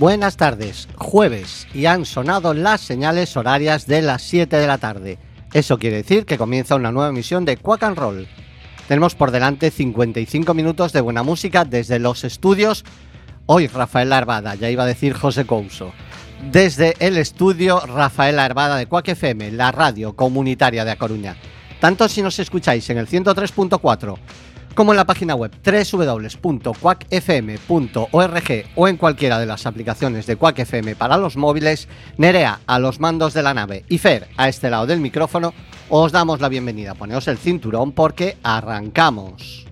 buenas tardes, jueves, y han sonado las señales horarias de las 7 de la tarde. Eso quiere decir que comienza una nueva emisión de Quack and Roll. Tenemos por delante 55 minutos de buena música desde los estudios. Hoy Rafael Arbada, ya iba a decir José Couso. Desde el estudio Rafael Arbada de Quack FM, la radio comunitaria de A Coruña. Tanto si nos escucháis en el 103.4 como en la página web www.quackfm.org o en cualquiera de las aplicaciones de Quack FM para los móviles. Nerea a los mandos de la nave y Fer a este lado del micrófono, os damos la bienvenida. Poneos el cinturón porque arrancamos.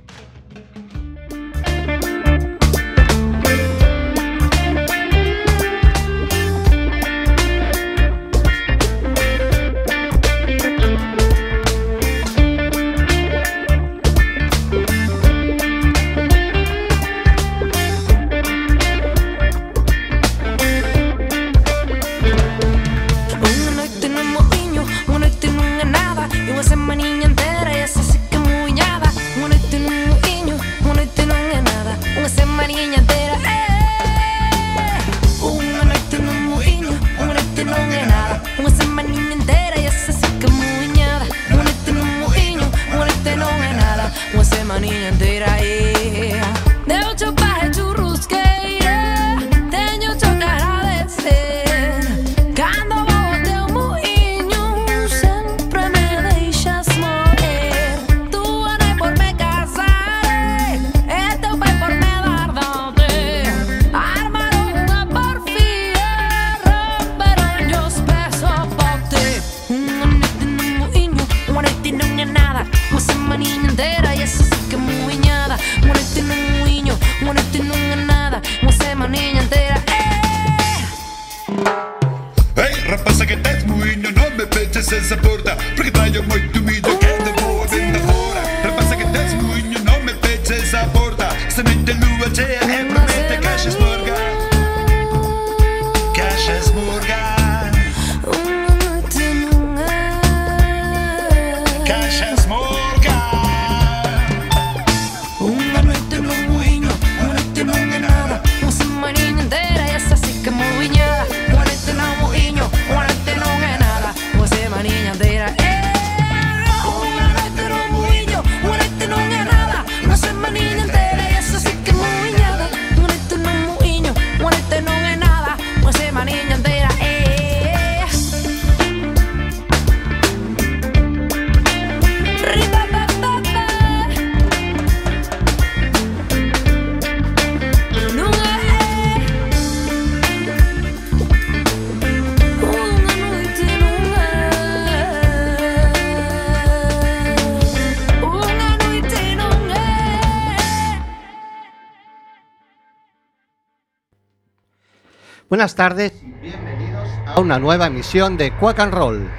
Buenas tardes y bienvenidos a una nueva emisión de Quack and Roll.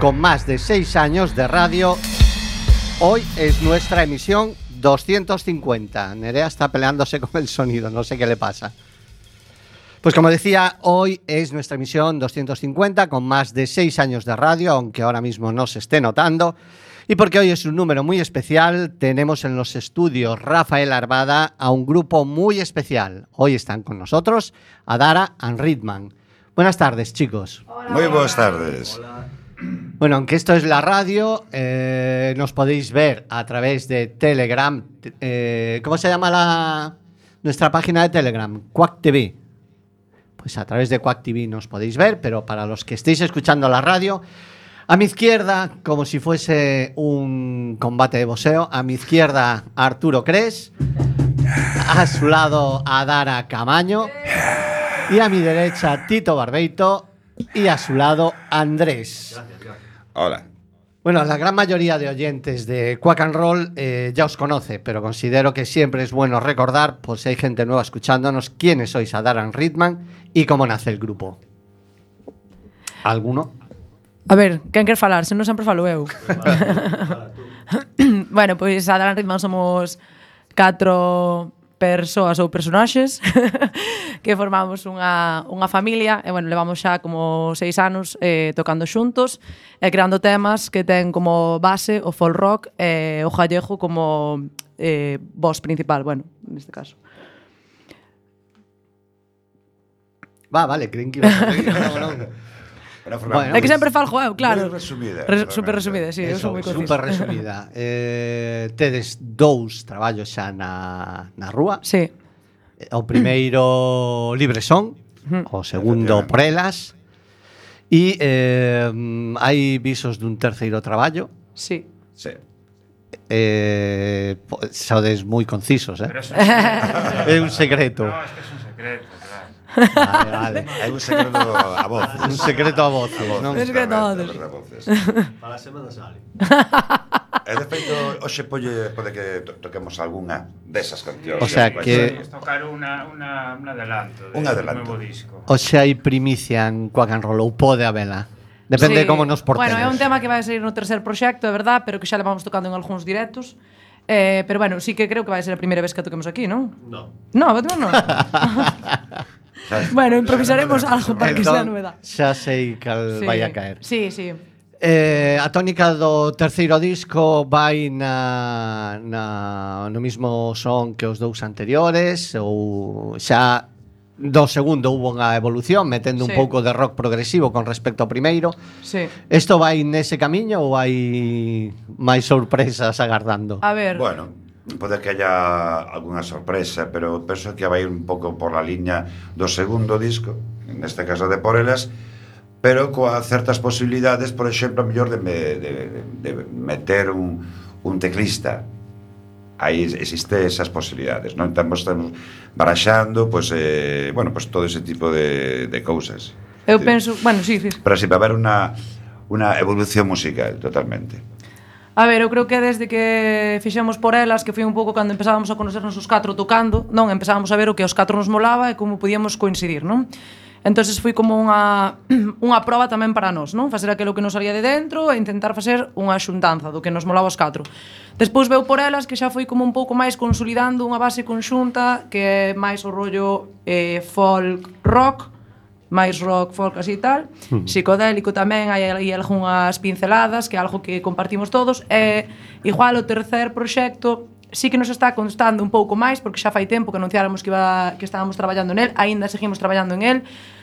Con más de 6 años de radio, hoy es nuestra emisión 250. Nerea está peleándose con el sonido, no sé qué le pasa. Pues como decía, hoy es nuestra emisión 250 con más de 6 años de radio, aunque ahora mismo no se esté notando. Y porque hoy es un número muy especial, tenemos en los estudios Rafael Arbada a un grupo muy especial. Hoy están con nosotros Adara and Ritman. Buenas tardes, chicos. Hola. Muy buenas tardes. Hola. Bueno, aunque esto es la radio, nos podéis ver a través de Telegram. ¿Cómo se llama nuestra página de Telegram? Quack TV. Pues a través de Quack TV nos podéis ver, pero para los que estéis escuchando la radio, a mi izquierda, como si fuese un combate de boxeo, a mi izquierda Arturo Cres, a su lado Adara Camaño y a mi derecha Tito Barbeito y a su lado Andrés. Gracias. Hola. Bueno, la gran mayoría de oyentes de Quack and Roll ya os conoce, pero considero que siempre es bueno recordar, por si hay gente nueva escuchándonos, quiénes sois Adara and Ritman y cómo nace el grupo. ¿Alguno? A ver, quen quer falar? Se non sempre falo eu. Bueno, pois a Adara and Ritman somos 4 persoas ou personaxes que formamos unha familia e, bueno, levamos xa como 6 anos tocando xuntos e creando temas que ten como base o folk rock e o gallego como voz principal, bueno, neste caso. vale, creen que ibas a seguir. Bueno, é que sempre falgo eu, claro. Moi resumida. Super resumida, sí, eu sou moi conciso. Super resumida. Tedes 2 traballos xa na rúa. Sí. O primeiro Libre Son, o segundo Prelas. E hai visos dun terceiro traballo. Sí. Sí. Sodes moi concisos, Pero eso É un secreto. No, es que es un secreto, claro. Vale. Hai un secreto a voces. Un secreto a voces, non? Un secreto a voces. Para a semana sale. E de feito, hoxe pode que toquemos algunha desas cancións. O sea que- Es tocar un adelanto Un adelanto. nuevo disco. Oxe hai primicia en Quack and Roll ou pode habela? Depende de como nos portemos. Bueno, é un tema que vai a sair no tercer proxecto, é verdad, pero que xa levamos tocando en algúns directos. Pero bueno, sí que creo que vai ser a primeira vez que a toquemos aquí, non? No. No, non. Bueno, improvisaremos algo para que sea novedad. Xa sei cal Sí. vai a caer. Sí, sí. A tónica do terceiro disco vai no mismo son que os dous anteriores ou xa do segundo hubo unha evolución metendo un Sí. pouco de rock progresivo con respecto ao primeiro. Sí. Isto vai nese camiño ou hai máis sorpresas agardando? A ver. Bueno, pode que haya algunha sorpresa, pero penso que vai un pouco por la liña do segundo disco, neste caso de Porelas, pero coa certas posibilidades, por exemplo, a mellor de meter un teclista. Aí existe esas posibilidades, non? Estamos baraxando, pois, bueno, pois todo ese tipo de cousas. Eu penso, bueno, sí. Para sempre haber unha evolución musical, totalmente. A ver, eu creo que desde que fixemos Porelas, que foi un pouco cando empezábamos a conocernos os 4 tocando, non, empezábamos a ver o que os 4 nos molaba e como podíamos coincidir, non? Entonces foi como unha proba tamén para nós, non? Facer aquilo que nos salía de dentro e intentar facer unha xuntanza do que nos molaba os 4. Despois veu Porelas, que xa foi como un pouco máis consolidando unha base conxunta que é máis o rollo folk rock, máis rock, folk así e tal, psicodélico tamén, hai algunhas pinceladas, que é algo que compartimos todos, e igual o tercer proxecto sí que nos está constando un pouco máis, porque xa fai tempo que anunciáramos que estábamos traballando nel, aínda seguimos traballando en el,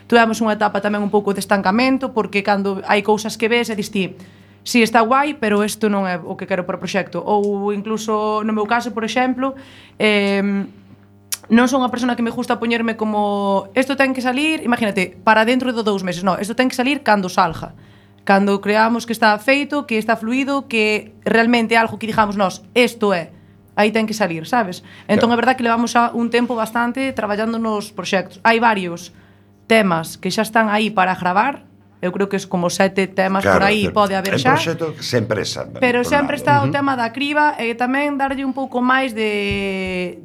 tuvemos unha etapa tamén un pouco de estancamento, porque cando hai cousas que ves e dis ti, sí, está guai, pero isto non é o que quero para o proxecto, ou incluso no meu caso, por exemplo, non son unha persona que me gusta poñerme como isto ten que salir, imagínate, para dentro de 2 meses, non, isto ten que salir cando salga. Cando creamos que está feito, que está fluido, que realmente é algo que digamos nós, isto é, aí ten que salir, sabes? Entón é verdad que levamos xa un tempo bastante traballando nos proxectos. Hai varios temas que xa están aí para gravar. Eu creo que é como 7 temas por aí pode haber xa. É un proxecto que sempre esa. Pero sempre está o tema da criba e tamén darlle un pouco máis de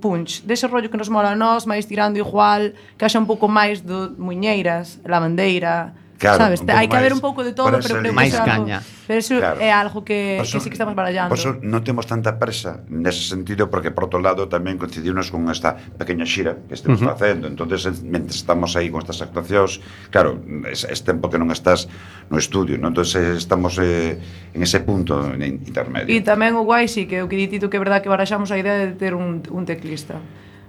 punch, dese rollo que nos mola a nós, máis tirando igual, que haxa un pouco máis do muñeiras, lavandeira, claro, sabes? Hai que haber un pouco de todo, pero creo que máis é algo, caña. pero eso Claro. é algo que Por sí que estamos barallando. Por eso non temos tanta presa nese sentido, porque por outro lado tamén coincidimos con esta pequeña xira que estamos facendo. Entonces, mentre estamos aí con estas actuacións, claro, es tempo que non estás no estudio, non? Entonces estamos en ese punto intermedio. E tamén o guai sí que o que ditito que é verdad que baraxamos a idea de ter un teclista.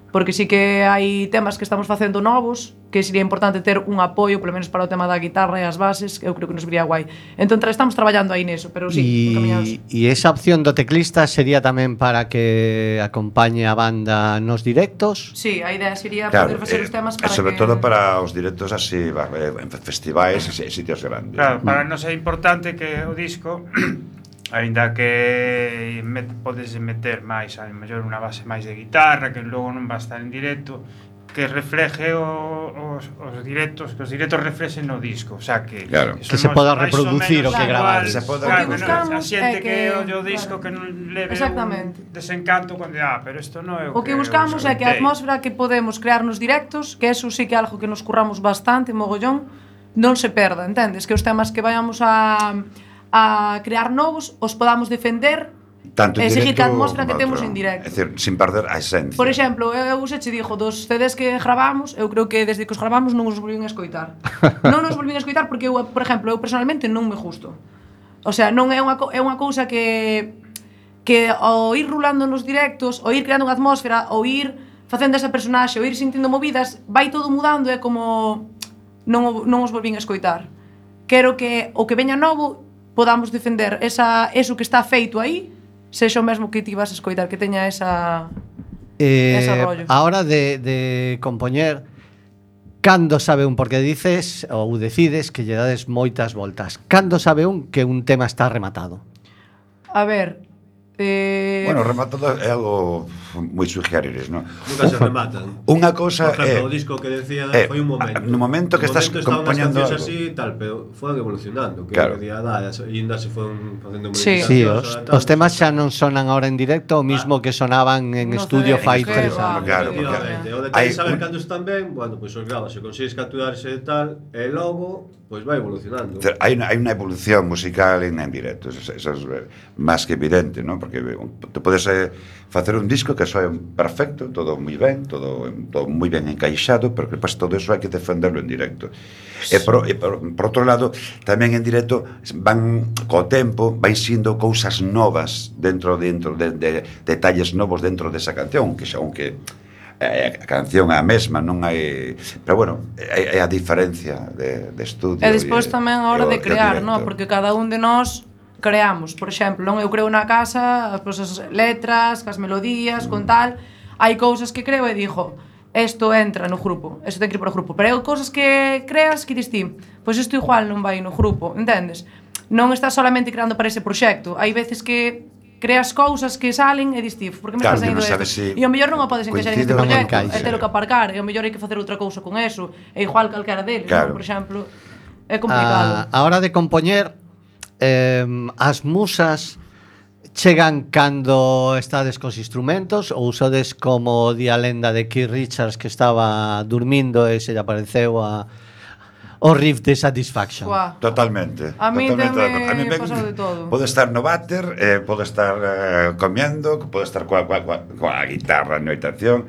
Porque sí que hai temas que estamos facendo novos, que sería importante ter un apoio, polo menos para o tema da guitarra e as bases, que eu creo que nos viría guai. Entón estamos traballando aí neso, pero sí, encaminados. E esa opción do teclista sería tamén para que acompañe a banda nos directos? Sí, a idea sería Claro, poder facer os temas para sobre que... todo para os directos así, en festivais e sitios grandes. Claro, para nós é importante que o disco aínda que podes meter máis, a mellor unha base máis de guitarra, que logo non va a estar en directo, que refleje os directos, que os directos reflexen no disco, o sea que claro. Que se poda reproducir o que gravar. Se poda claro, buscamos a xente é que- que o disco que non leve Exactamente. un desencanto cando pero isto non é O que buscamos é que a atmósfera que podemos crear nos directos, que eso sí que é algo que nos curramos bastante, mogollón, non se perda, entendes? Que os temas que vayamos a crear novos os podamos defender Tanto e en seguir directo que a atmósfera que como temos outro. en directo. É dicir, sin perder a esencia. Por exemplo, eu xa che dixo, dos CDs que gravamos, eu creo que desde que os gravamos non os volvín a escoitar. Non os volvín a escoitar porque eu, por exemplo, eu personalmente non me gusto. O sea, non é unha cousa que ao ir rulando nos directos, ou ir creando unha atmósfera, ou ir facendo esa personaxe ou ir sentindo movidas, vai todo mudando, é como non os volvín a escoitar. Quero que o que veña novo podamos defender eso que está feito aí, sexa o mesmo que ti vas a escoitar, que teña ese rollo. A hora de compoñer, cando sabe un, porque dices ou decides que lle dades moitas voltas, cando sabe un que un tema está rematado? A ver, Bueno, rematado é algo moi sui generis, non? Nunca se rematan. Unha cousa Por exemplo, o disco que decía foi un momento. No momento que estás compoñendo algo. Así, tal, pero foron evolucionando. Que claro. Día e ainda se foron facendo Sí, os temas xa non sonan agora en directo, o mismo que sonaban en estudio fai 3 anos. Claro, o detalle saber cando están ben, bueno, pois os grabas, se consigues capturarse e tal, e logo pois vai evolucionando. Hai unha evolución musical en directo, eso é máis que evidente, non? Porque te podes facer un disco que soe perfecto, todo moi ben, todo moi ben encaixado, pero que depois todo eso hai que defenderlo en directo. E por outro lado, tamén en directo van co tempo, vai sendo cousas novas dentro de detalles novos dentro desa canción, que xa aunque a canción é a mesma, non hai, pero bueno, é a diferencia de estudio. E despois tamén a hora de crear, non? Porque cada un de nós creamos, por exemplo, non eu creo na casa, as letras, as melodías, con tal, hai cousas que creo e digo, isto entra no grupo, isto ten que ir para o grupo, pero hai cousas que creas que dis ti, pois isto igual non vai no grupo, entendes? Non estás solamente creando para ese proxecto, hai veces que creas cousas que salen e dis ti, por que me estás saindo isto? E o mellor non a podes encaixar en este proxecto, e telo que aparcar, e o mellor hai que facer outra cousa con eso, e igual calquera deles, non? Por exemplo, é complicado. A hora de compoñer, as musas chegan cando estades cos instrumentos ou usades como di a lenda de Keith Richards que estaba dormindo e se lle apareceu o riff de Satisfaction. Uah. Totalmente. A mí tamén pasou de todo. Pode estar no váter, pode estar comiendo, pode estar coa guitarra na habitación.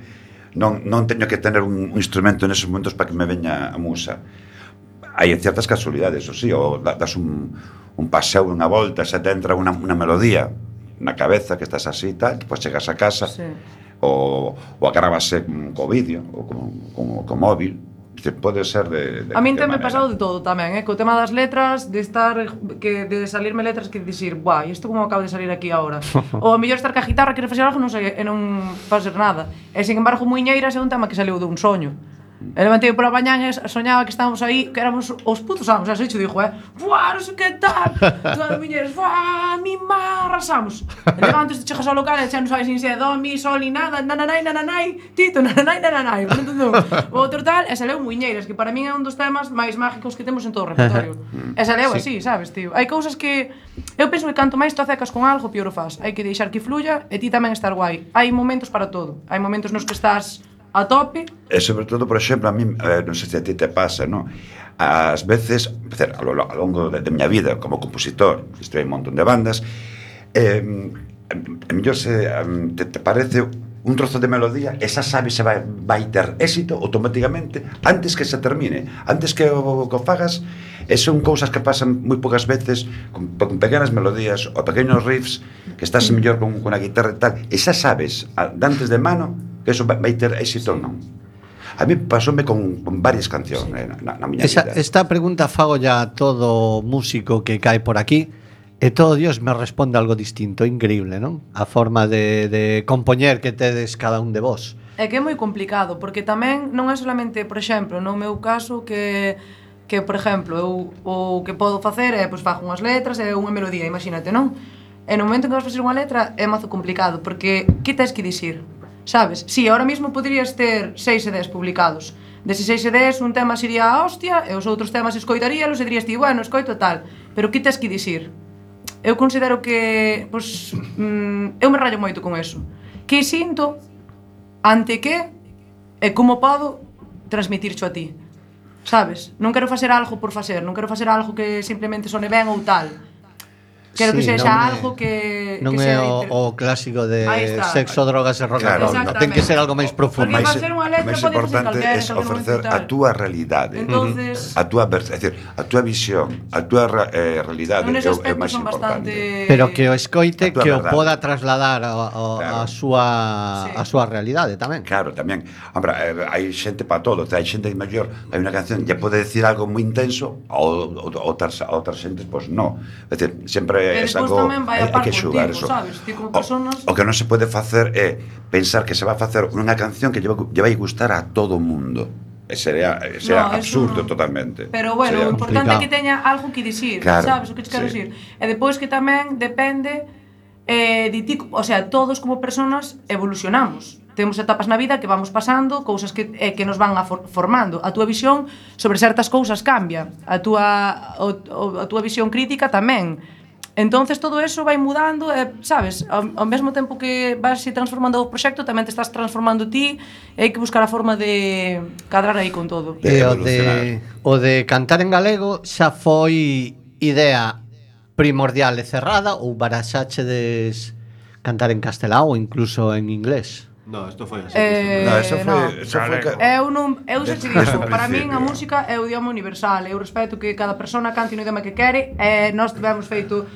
Non teño que tener un instrumento neses momentos para que me veña a musa. Hai ciertas casualidades, o sí, ou das un paseo, unha volta, se te entra unha melodía na cabeza que estás así e tal, depois chegas a casa, sí. ou agravase co vídeo ou co móvil. Pode ser de a min me pasado de todo tamén, co tema das letras, de salirme letras que dicir, buah, isto como acaba de salir aquí agora. Ou a mellor estar ca guitarra, querer facer algo, non sei, e non facer nada. E sin embargo, Muiñeiras é un tema que saliu dun soño. E levantei pola mañán e soñaba que estábamos aí, que éramos os putos amos, así xo dixo, buah, non sei que tal, todas as miñeras, buah, mi má, arrasamos. E levantes, chegas ao local e xa non sabes sin se do, mi, sol, ni nada, nananai, tito, nananai, o outro tal, e saleu Muiñeiras, que para min é un dos temas máis mágicos que temos en todo o repertorio. E saleu así, sabes, tío. Hai cousas que, eu penso que canto máis te acecas con algo, pior o faz. Hai que deixar que fluya e ti tamén estar guai. Hai momentos para todo. Hai momentos nos que estás a tope. E sobre todo, por exemplo, a mí, non sei se a ti te pasa, non? Ás veces, a lo longo de miña vida como compositor, estive en un montón de bandas, mellor te parece un trozo de melodía, esa sabe se vai ter éxito automáticamente antes que se termine, antes que o fagas, e son cousas que pasan moi poucas veces con pequenas melodías ou pequenos riffs que estás mellor con a guitarra e tal, e xa sabes antes de mano que eso vai ter éxito ou non. A mí pasoume con varias cancións na miña vida. Esta pregunta fago ya a todo músico que cae por aquí e todo Dios me responde algo distinto, increíble, non? A forma de compoñer que tedes cada un de vos. É que é moi complicado, porque tamén non é solamente, por exemplo, no meu caso que por exemplo, eu o que podo facer é, pois, fago unhas letras e unha melodía, imagínate, non? E no momento en que vas facer unha letra é mazo complicado, porque que tens que dicir? Sabes? Si, ahora mismo poderías ter 6 CDs publicados. Deses 6 CDs un tema sería a hostia e os outros temas escoitaríalos e dirías ti, bueno, escoito tal, pero que tens que dicir? Eu considero que, pois, eu me rallo moito con eso. Que sinto ante que e como podo transmitircho a ti. Sabes? Non quero facer algo por facer, non quero facer algo que simplemente sone ben ou tal. Quero que Sí, sexa non é- algo que Non que é sea o clásico de Aí está. sexo, drogas e rock and Claro, roll. no. Ten que ser algo máis profundo. Porque máis, facer unha letra máis pode facer importante calquera, é en calquer ofrecer momento e a tal. túa realidade. Entonces, A túa, é dicir, a túa visión, a túa realidade en é ese o aspecto máis son importante. bastante Pero que o escoite, A túa que o verdade. poda trasladar Claro. Sí. a súa realidade tamén. Claro, tamén. Hombre, hai xente para todo. Hai xente maior, hai unha canción que pode decir algo moi intenso, outras xentes, pois non. É dicir, sempre Que é despois algo tamén vai a hai par que contigo, xugar eso. sabes? Ti como personas... O que non se pode facer é pensar que se va a facer unha canción que lle vai gustar a todo o mundo. Sería No, eso absurdo no. totalmente. Pero bueno, Sería o importante é complicado. que teña algo que dicir, Claro, sabes o que te quero sí. dicir? E depois que tamén depende de ti, o sea, todos como personas evolucionamos. Temos etapas na vida que vamos pasando, cousas que nos van formando. A túa visión sobre certas cousas cambia. A túa visión crítica tamén. Entonces todo eso vai mudando, sabes, ao mesmo tempo que vas transformando o proxecto, tamén te estás transformando ti, e hai que buscar a forma de cadrar aí con todo. E evolucionar. o de cantar en galego xa foi idea primordial e cerrada ou baraxachedes cantar en castelán ou incluso en inglés? No, isto foi así. No, eso no. foi Eu xa te Desde digo, o para min a principio. música é o idioma universal. Eu respeto que cada persona cante no idioma que quere. Nós tivemos feito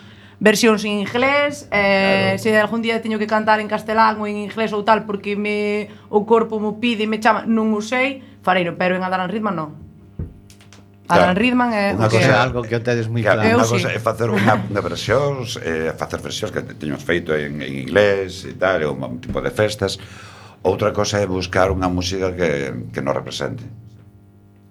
versións en inglés, se algún día teño que cantar en castelán ou en inglés ou tal porque o corpo mo pide e me chama, non o sei, fareiro, pero en Adalan Ridman non. Adalan Ridman é Unha o que Cosa é cosa- algo que o tedes moi Claro, claro. Eu unha cosa sí. é facer unha versións, facer versións que teñamos feito en inglés e tal, un tipo de festas. Outra cosa é buscar unha música que nos represente.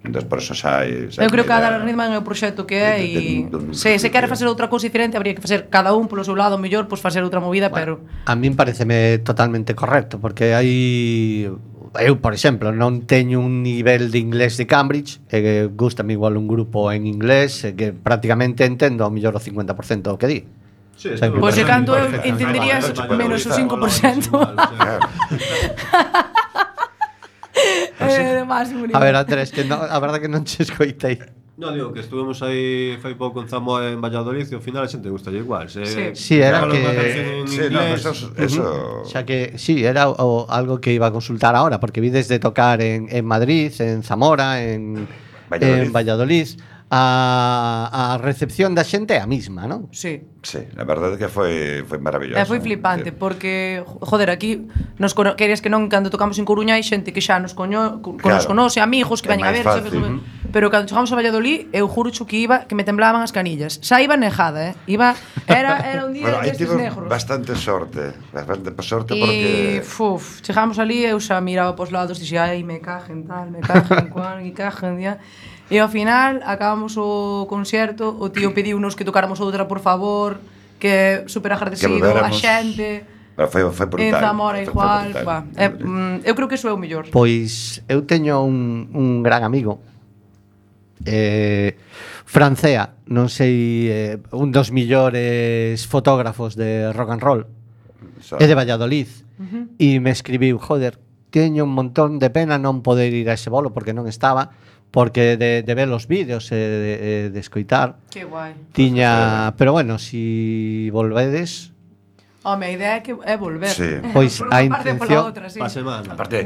Entón, por eso xa hai... Eu creo que Adalan Ridman é o proxecto que é e se quere facer outra cousa diferente habría que facer cada un polo seu lado, mellor pois facer outra movida, pero A min pareceme totalmente correcto, porque hai... Eu, por exemplo, non teño un nivel de inglés de Cambridge, e gustame igual un grupo en inglés, e que prácticamente entendo ao mellor o 50% do que di. Sí, Pois Pois se canto eu perfectamente. entenderías menos o 5%. Claro. É máximo A ver, Andrés, que a verdade que non che escoitei. No, digo que estuvemos aí fai pouco en Zamoa en Valladolid e ao final a xente gusta igual. Sí. Sí, era Fala unha que... canción en Sí, no, inglés. eso Xa que, sí, era algo que iba a consultar ahora, porque vi desde tocar en Madrid, en Zamora, en Valladolid, a recepción da xente é a mesma, non? Sí. Sí, a verdade é que foi maravilloso. Foi flipante porque, joder, aquí querías que non cando tocamos en Coruña hai xente que xa nos nos conoce, amigos que É veñen a máis ver, sabes? fácil. Pero cando chegamos a Valladolid, eu juro que me temblaban as canillas. Xa iba nejada, era un día Bueno, aí destes tivo negros. bastante sorte porque... Chegamos ali, eu xa miraba pos lados, dixe, ai, me cajen tal, me cajen cual, me cajen, ya. E ao final, acabamos o concerto, o tío pediunos que tocáramos outra, por favor, que super agradecido, a volvéramos. xente. Pero foi brutal. En Zamora foi igual, brutal. eu creo que iso é o mellor. Pois eu teño un gran amigo, Francea, non sei, un dos millores fotógrafos de rock and roll, é de Valladolid, e me escribiu, joder, teño un montón de pena non poder ir a ese bolo porque non estaba, porque de ver os vídeos e de escoitar Que guai. tiña, pero bueno, si volvedes, Home, a idea é volver. Sí. Pois Por a unha parte e pola intención- outra, sí. Pa semana. Aparte,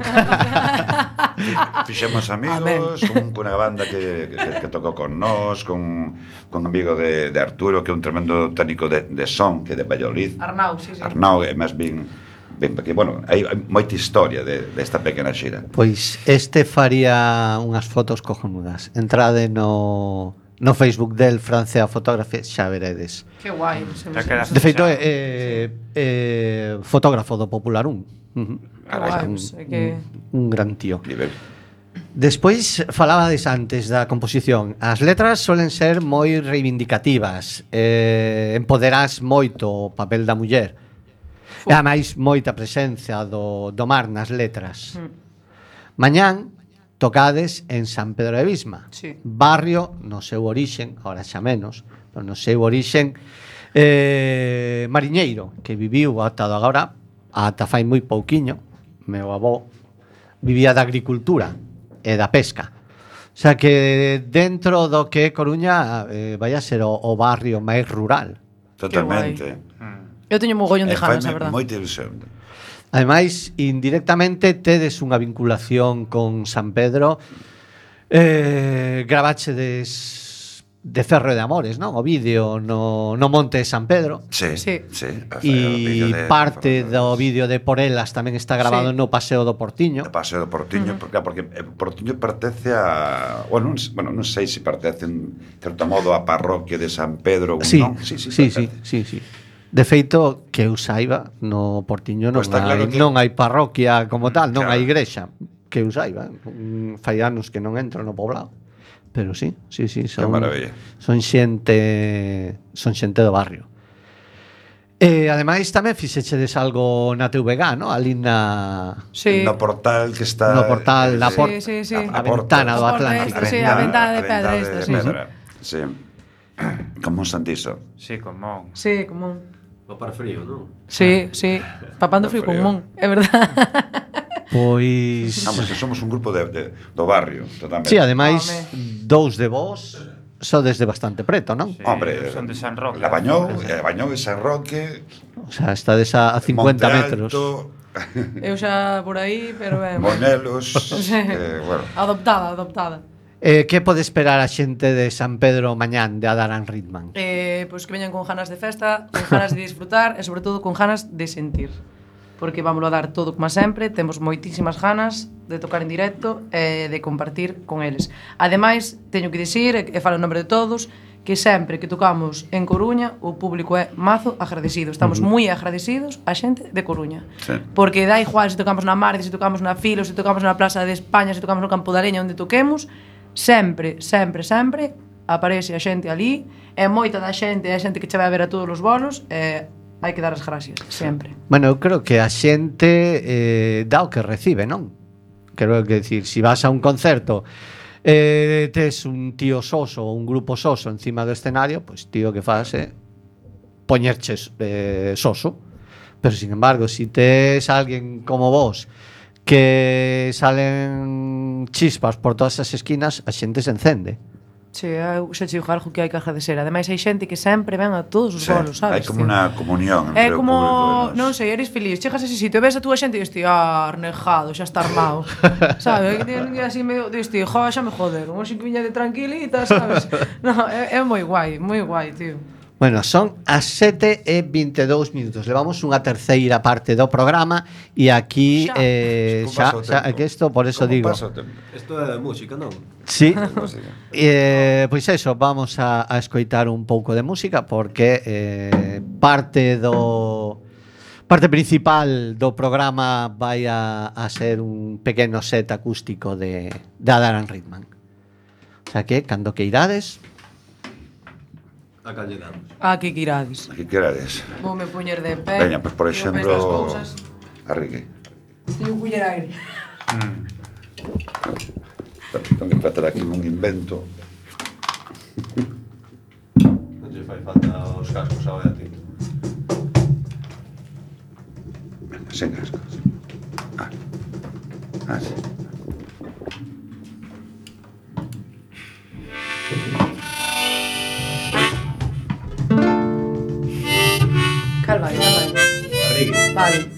fixemos amigos con unha banda que tocou con nós, con un amigo de Arturo, que é un tremendo técnico de son, que é de Valladolid. Arnau, sí. Arnau é máis ben porque, bueno, hai moita historia desta pequena xira. pois este faría unhas fotos cojonudas. Entrade no Facebook del Francea Photography, xa veredes. Que guai. Te quedas De feito, xa. fotógrafo do Popular 1. Que guai, pois, é que... Un gran tío. Nivel. Despois falabades antes da composición. As letras solen ser moi reivindicativas, empoderás moito o papel da muller. E ademais moita presencia do mar nas letras. Mañán tocades en San Pedro de Visma, Sí. barrio no seu orixen, ahora xa menos, pero no seu orixen mariñeiro, que viviu ata agora, ata fai moi pouquiño. Meu avó vivía da agricultura e da pesca. O sea que dentro do que é Coruña vai a ser o barrio máis rural. Totalmente. Eu teño mogollón de ganas, a Faime verdad. moita ilusión. Ademais, indirectamente tedes unha vinculación con San Pedro. Grabachedes de Ferro de Amores, non? O vídeo no Monte de San Pedro. Sí, Sí. sí. E parte do vídeo de Porelas tamén está grabado Sí. no Paseo do Portiño. O Paseo do Portiño, porque Portiño pertence a... Bueno, non sei se pertence en certo modo a parroquia de San Pedro ou Sí, non. sí. Pertence. De feito, que eu saiba, no Portiño non, Pois está claro que- non hai parroquia como tal, non Claro. hai igrexa. Que eu saiba, fai anos que non entro no poblado. Pero sí, son, maravilla. son xente do barrio. Ademais tamén fixechedes algo na TVG, ¿no? Ali na Sí. No portal que está... No portal da Sí, sí, sí. a ventana do A porta Atlántico. esta, sí, a ventana de pedra esta, sí. Sí. Como un santiso. Sí, como... Sí, común. Papar frío, non? Sí, sí. Papando frío Frío. común, é verdad. Pois Vamos, que somos un grupo do barrio, totalmente. sí, ademais Home. dous de vos sodes de bastante preto, non? Sí, Hombre, son de San Roque. Labañou e San Roque, O sea, estades a 50 Monte metros. Alto, Eu xa por aí, pero ben. Monelos, Sí. bueno, Adoptada. Que pode esperar a xente de San Pedro mañán de Adaran Ritman? Pois que veñan con ganas de festa, con ganas de disfrutar e sobre todo con ganas de sentir. Porque vamos a dar todo como sempre, temos moitísimas ganas de tocar en directo e de compartir con eles. Ademais, teño que dicir, e falo en nombre de todos, que sempre que tocamos en Coruña, o público é mazo agradecido. Estamos moi agradecidos a xente de Coruña. Sí. Porque dá igual se tocamos na Marde, se tocamos na Filo, se tocamos na Plaza de España, se tocamos no Campo da Leña, onde toquemos, sempre aparece a xente ali, e moita da xente é a xente que che vai a ver a todos os bolos, e hai que dar as gracias, sempre. Bueno, eu creo que a xente dá o que recibe, non? Quero decir, si vas a un concerto tes un tío soso ou un grupo soso encima do escenario, pois tío que faz poñerches soso. Pero sin embargo, si tes alguén como vos que salen chispas por todas as esquinas, a xente se encende. Sí, eu xa te digo algo que hai que agradecer. Ademais, hai xente que sempre ven a todos os sí, bolos, sabes? hai como tío? unha comunión É entre o como, público e non nós. sei, eres feliz, chegas a ese sitio, ves a túa xente e dis, tío, arnejado, xa está armado. Sabes? E así medio, dis, tío, xa me joderon, hoxe que viña de tranquilita, sabes? No, é moi guai, tío. Bueno, son as 7:22. Levamos unha terceira parte do programa e aquí Como pasa o tempo? que isto, por eso Como digo. pasa o tempo? Isto é de música, non? Sí. Música. Pois eso, vamos a escoitar un pouco de música porque parte principal do programa vai a ser un pequeno set acústico de Adaran Ritman. O sea que, cando que irades, A calle damos. Aquí que irades. Que querades? Vou me poñer de pé. Veña, pues por e eu penso as exemplo, cousas. Arrique. Teño que coller aire. Tengo que tratar aquí un invento. Non te fai falta os cascos agora a ti. Sen cascos. Sí. Cal vai. Arrigue. Vale.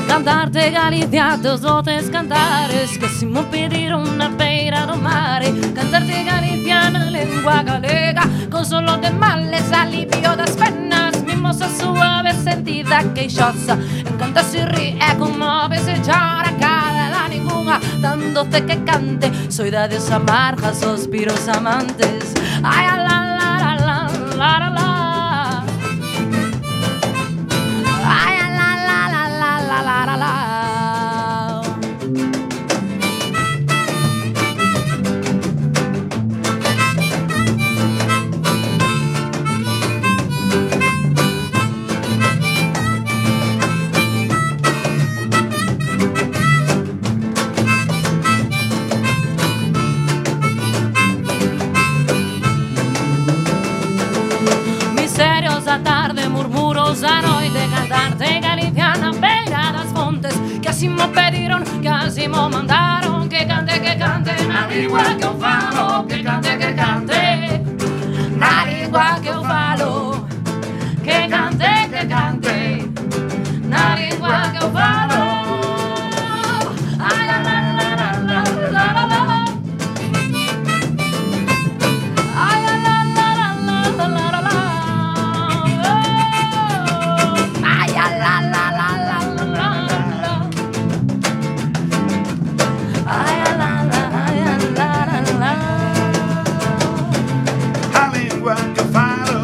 Cantarte Galicia, teus doces cantares Que si mo pediron na beira do mare Cantarte Galicia na lengua galega Con solo de males, alivio das penas Mimosa suave, sentida, queixosa Encanta se ríe, conmove, se chora Cara da ninguna, tan doce que cante Soidades amargas, suspiros amantes Ai, a la la la la la la la Ay, la la la la la la la la. todos a noite cantarte Galicia na beira das fontes. Que así mo pediron, que así mo mandaron, que cante na lingua que eu falo, que cante na lingua que eu falo, que cante na lingua que eu falo. Ai, la, la, la, la, la, la, la, la. Ai, la, la, la, la, la, la, la, la. Ai, la, la, la, la, la, la, la. Ai, la, la, la, la, la. A língua que eu falo,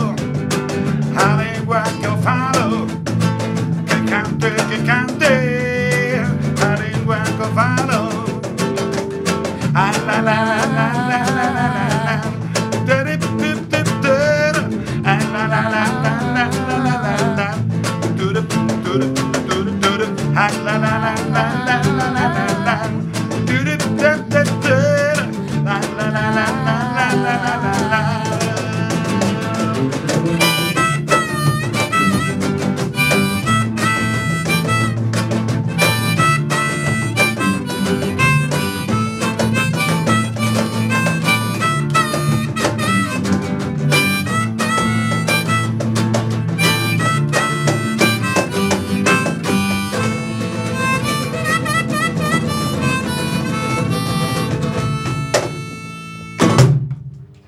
a língua que eu falo, que cante, a língua que eu falo. Ah, la, la, la, la, la, la, la, la. Tudup, tudup, tudup. Ah, la, la, la, la, la, la, la, la. Tudup, tudup, tudup, tudup. Ah, la, la, la, la, la, la, la, la. Tudup, tudup, tudup. Ah, la, la, la, la, la, la, la, la.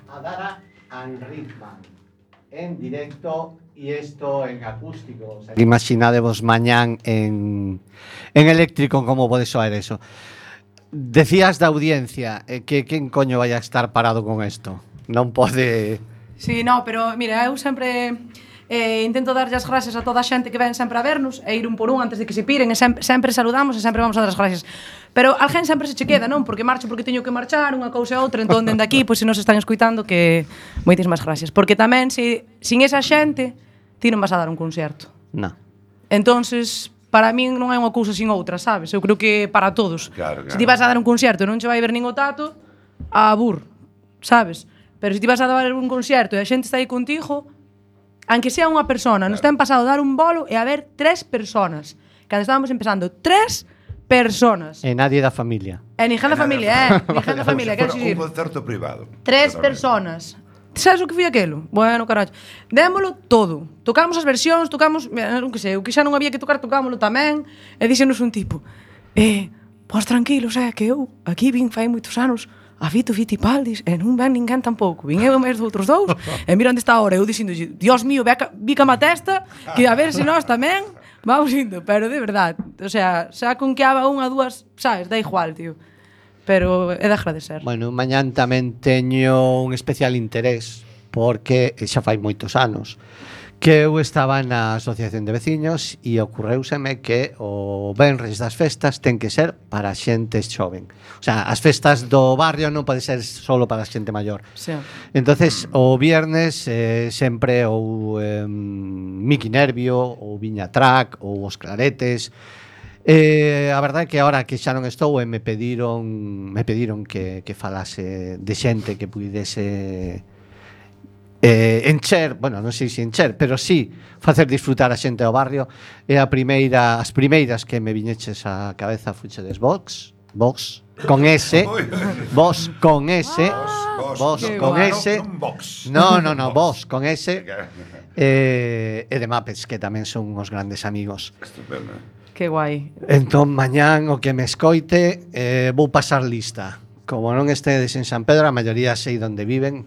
Adara and Ritman en directo y esto en acústico. O sea, imaginadevos mañán en eléctrico como pode soar eso. Decías da audiencia que quen coño vai a estar parado con isto. Non pode... Sí, no, pero mira, eu sempre intento darlle as gracias a toda a xente que ven sempre a vernos e ir un por un antes de que se piren e sempre saludamos e sempre vamos a dar as gracias. Pero alguén sempre se che queda, non? Porque marcho porque teño que marchar, unha cousa e outra, entón dende aquí, pois se nos están escuitando que moitísimas gracias. Porque tamén sin esa xente ti non vas a dar un concerto. No. Entonces, para min non é unha cousa sin outra, sabes? Eu creo que para todos. Claro. Se ti vas a dar un concerto e non che vai ver nin o tato, a burro, sabes? Pero se ti vas a dar un concerto e a xente está aí contigo, aunque sea unha persona, nos ten pasado dar un bolo e haber 3 personas. Cando estábamos empezando, 3 personas. E nadie da familia. E ninguén da familia, ninguén da familia, quero Un dicir. concerto privado. 3 personas. Sabes o que foi aquelo? Bueno, carallo. Démolo todo. Tocamos as versións, tocamos, non que sei, o que xa non había que tocar, tocámoslo tamén. E díxenos un tipo, pois tranquilos, que eu aquí vin fai moitos anos a Fito Fitipaldis e non ven ninguén tampouco. Vin eu e máis outros dous e mira onde está ahora. Eu dixendo, Dios mío, bícame a testa, que a ver se nós tamén vamos indo. Pero de verdade, o sea, xa con que haga unha, dúas, sabes, da igual, tío. Pero é de agradecer. Bueno, mañán tamén teño un especial interés porque xa fai moitos anos que eu estaba na asociación de veciños e ocorreuseme que o venres das festas ten que ser para xente xoven. O sea, as festas do barrio non pode ser solo para xente maior. Sí. Entonces, o viernes sempre ou Miki Nervio, ou Viña Track, ou Os Claretes. A verdade é que ahora que xa non estou me pediron que falase de xente que pudese encher, bueno, non sei se encher, pero sí facer disfrutar a xente do barrio. E as primeiras que me viñeches á cabeza fuchedes Vox con S, Vos con S, Vos con S. No, Vos con S. E de Mapes, que tamén son uns grandes amigos. Estupendo. Que guai. Entón, mañán o que me escoite vou pasar lista. Como non estedes en San Pedro, a maioría sei onde viven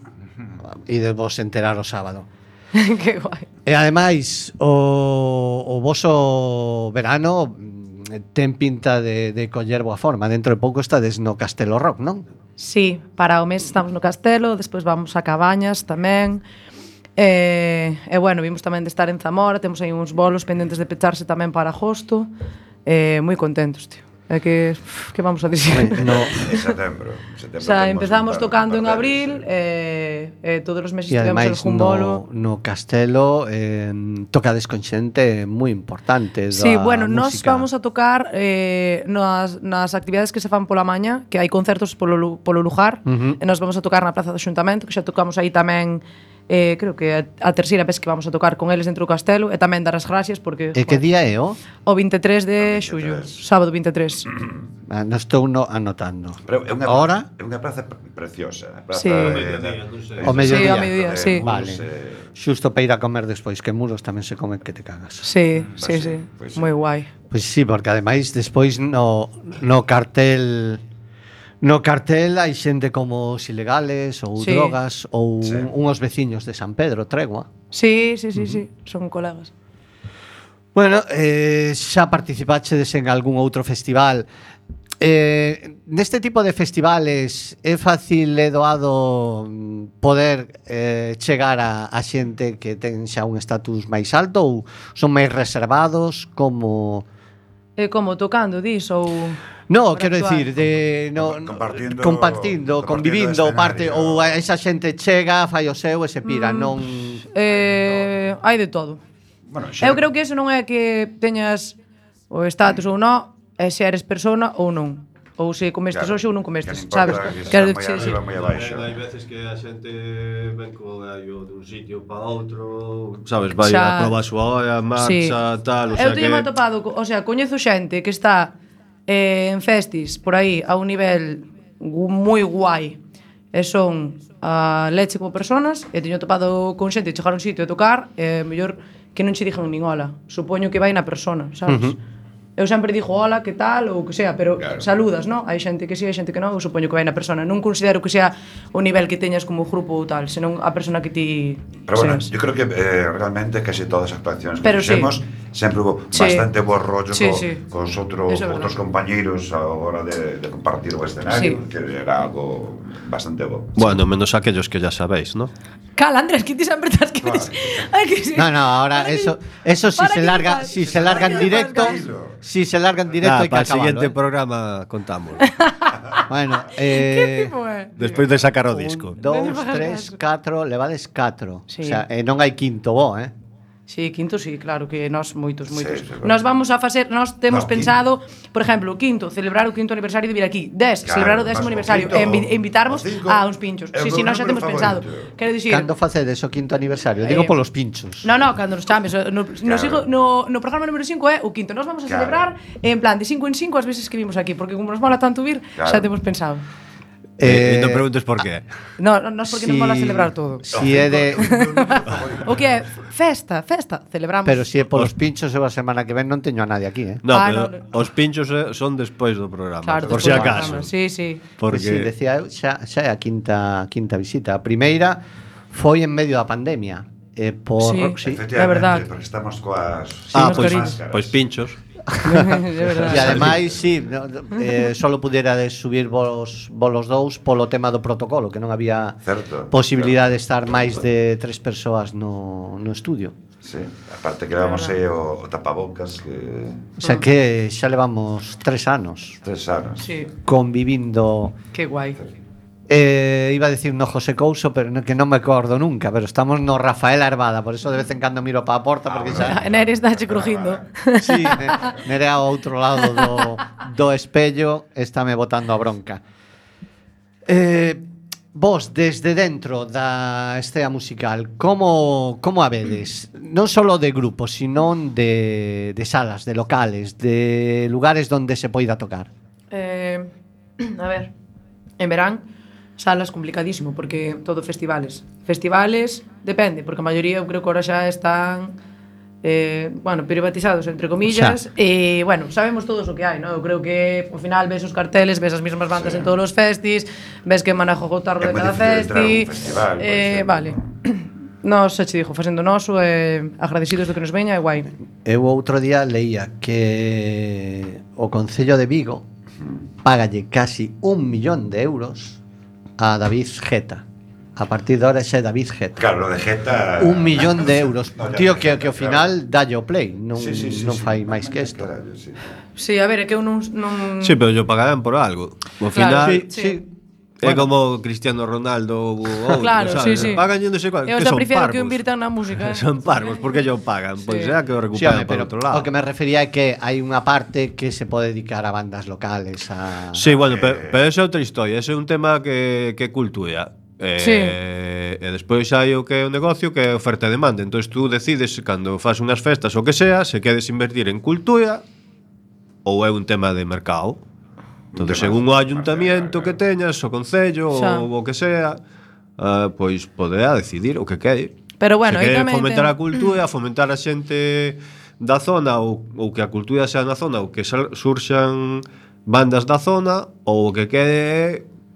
e de vos enterar o sábado. Que guai. E ademais, o voso verano ten pinta de coller boa forma. Dentro de pouco estades no Castelo Rock, non? Sí, para o mes estamos no Castelo, despois vamos a Cabañas tamén. E bueno, vimos tamén de estar en Zamora, temos aí uns bolos pendentes de pecharse tamén para agosto. Moi contentos, tío. É que vamos a dicir? No. En setembro. O sea, empezamos tocando en abril e todos os meses E tivemos ademais algún bolo. no Castelo tocades con xente moi importante da Sí, bueno, nós música. vamos a tocar nas actividades que se fan pola maña, que hai concertos polo lugar, e nós vamos a tocar na Praza do Xuntamento, que xa tocamos aí tamén creo que a terceira vez que vamos a tocar con eles dentro do castelo, e tamén dar as gracias porque E que día é o? o 23 de xullo, sábado 23. Non estou anotando. Pero é unha, Ahora? é unha praza preciosa. A praza Sí. O mediodía. Sí, ao mediodía, sí. Vale. Xusto para ir a comer despois, que muros tamén se comen que te cagas. Sí, Pues sí, sí, pues sí. moi guai. Pois sí, porque ademais despois no cartel hai xente como os ilegales ou Sí. drogas ou Sí. unhos veciños de San Pedro, Tregua. Sí, sí, sí, sí, son colegas. Bueno, xa participachedes en algún outro festival. Neste tipo de festivales é fácil e doado poder chegar a xente que ten xa un estatus máis alto ou son máis reservados como... Como tocando, dis, ou... No, para quero actuar? decir, de no, Compartindo convivindo, escenario. parte ou a esa xente chega, fai o seu e se pira, non Hai de todo. Bueno, Eu creo que eso non é que teñas o estatus ou non, é se eres persona ou non. Ou se comestes Claro, hoxe ou non que comestes, non sabes? importa que Quero sea moi sí, sí. arriba, moi abaixo. Hai veces que a xente ven co gallo dun sitio para outro, sabes, vai Xa. a probar a súa hora, marcha, tal, o sea Eu teño que... atopado, o sea, coñezo xente que está en festis por aí a un nivel moi guai e son a leche como personas e teño atopado con xente que chegar a un sitio a tocar e mellor que non che dixen nin hola, supoño que vai na persona, sabes? Eu sempre digo hola, que tal, ou que sea, pero Claro. saludas, non? Hai xente que sí, hai xente que non, eu supoño que vai na persona. Non considero que sea o nivel que teñas como grupo ou tal, senón a persona que ti Pero bueno, seas. yo creo que realmente casi todas as actuaciones que Pero sí. fixemos sempre hubo Sí. bastante buen rollo Sí, sí. con Eso é verdad. outros compañeiros a hora de compartir o escenario, Sí. que era algo bastante bo. Bueno, menos aquellos que ya sabéis, ¿no? Cala, Andrés, que ti sempre estás que... Claro. Ai, que sí. No, ahora Para que- eso si para se que larga, fas- si se larga en para que directo, fas- si se larga en directo hai que para el acabarlo. siguiente ¿eh? programa contamos. Bueno, Que tipo é? Despois de sacar o disco. 2, 3, 4, levades 4. Sí. O sea, non hai quinto bo, Sí, quinto sí, claro que nós moitos. Sí, sí, claro. Nós vamos a facer, nós temos No, pensado, por exemplo, quinto, celebrar o quinto aniversario de vir aquí. 10, Claro, celebrar o vas 10º ao aniversario quinto, e invitarmos ao cinco, a uns pinchos. é Sí, o sí, meu nós xa número temos pensado. favorito. Quero dicir, Cando facedes o quinto aniversario? Digo polos pinchos. No, cando nos chames, Claro. no programa número 5 é o quinto. Nós vamos a Claro. celebrar en plan de 5 en 5 as veces que vimos aquí, porque como nos mola tanto vir, Claro. xa temos pensado. E non preguntes por qué. No, nós porque nos mola celebrar todo. Si é de... O que é festa, celebramos. Pero si é polos pinchos, eu a semana que ven non teño a nadie aquí, No, Ah, pero no. os pinchos son despois do programa. Claro, por despois si do acaso. programa. Sí, sí. Porque si, Porque decía eu, xa é a quinta visita. A primeira foi en medio da pandemia. Por, Sí. Efectivamente, É verdad. porque estamos coas pois máscaras. pois pinchos. De verdade. E ademais, sí, solo puderas subir volos dous polo tema do protocolo, que non había Certo, posibilidade de estar máis de 3 persoas no estudio. Sí, aparte que levamos aí o tapabocas que O sea que xa levamos 3 anos 3 anos. Sí, convivindo. que guai. Iba a decir no José Couso, pero que non me acordo nunca, pero estamos no Rafael Arbada, por eso de vez en cando miro para a porta porque xa Nere está che crujindo. sí, nere ao outro lado do espello estáme botando a bronca. Vos, desde dentro da escena musical, como a vedes? Non só de grupos, sino de salas, de locales, de lugares donde se poida tocar. A ver, en verán salas complicadísimo porque todo festivales. Festivales depende, porque a maioría eu creo que ahora xa están bueno, privatizados entre comillas e bueno, sabemos todos o que hai, ¿no? Eu creo que ao final ves os carteles, ves as mesmas bandas en todos os festis, ves que manejo o tarro de É moi cada difícil entrar a un festi. festival, por exemplo. Vale. Nos xa che digo, facendo noso agradecidos do que nos veña é guai. Eu outro día leía que o Concello de Vigo págalle casi 1 millón de euros a David Geta. A partir de ahora xa é David Geta. Claro, lo de Geta 1 millón de euros. No, ya Tío, de que ao Geta, final dalle o play, non Sí, non fai máis que isto. Carallo, sí. Sí, a ver, é que eu non Sí, pero yo pagarán por algo. Ao Claro, final Sí, sí. é como Cristiano Ronaldo ou outro, Claro, sabes? sí, sí. Pagan non sei cuál, Eu que xa son prefiero parvos. que invirtan na música. Son parvos, porque yo pagan? Pois Sí. será que o Sí, recuperan home, por pero outro lado. o que me refería é que hai unha parte que se pode dedicar a bandas locales a... Sí, bueno, pero esa é outra historia, ese é un tema que é cultura. E despois hai o que é o negocio, que é oferta e demanda. Entón tú decides cando fas unhas festas ou que sea, se queres invertir en cultura ou é un tema de mercado. Entón, según o ayuntamiento que teñas, o concello ou o que sea, pois poderá decidir o que quere. Pero bueno, se quere fomentar a cultura, fomentar a xente da zona ou que a cultura sea na zona ou que surxan bandas da zona, ou o que quere é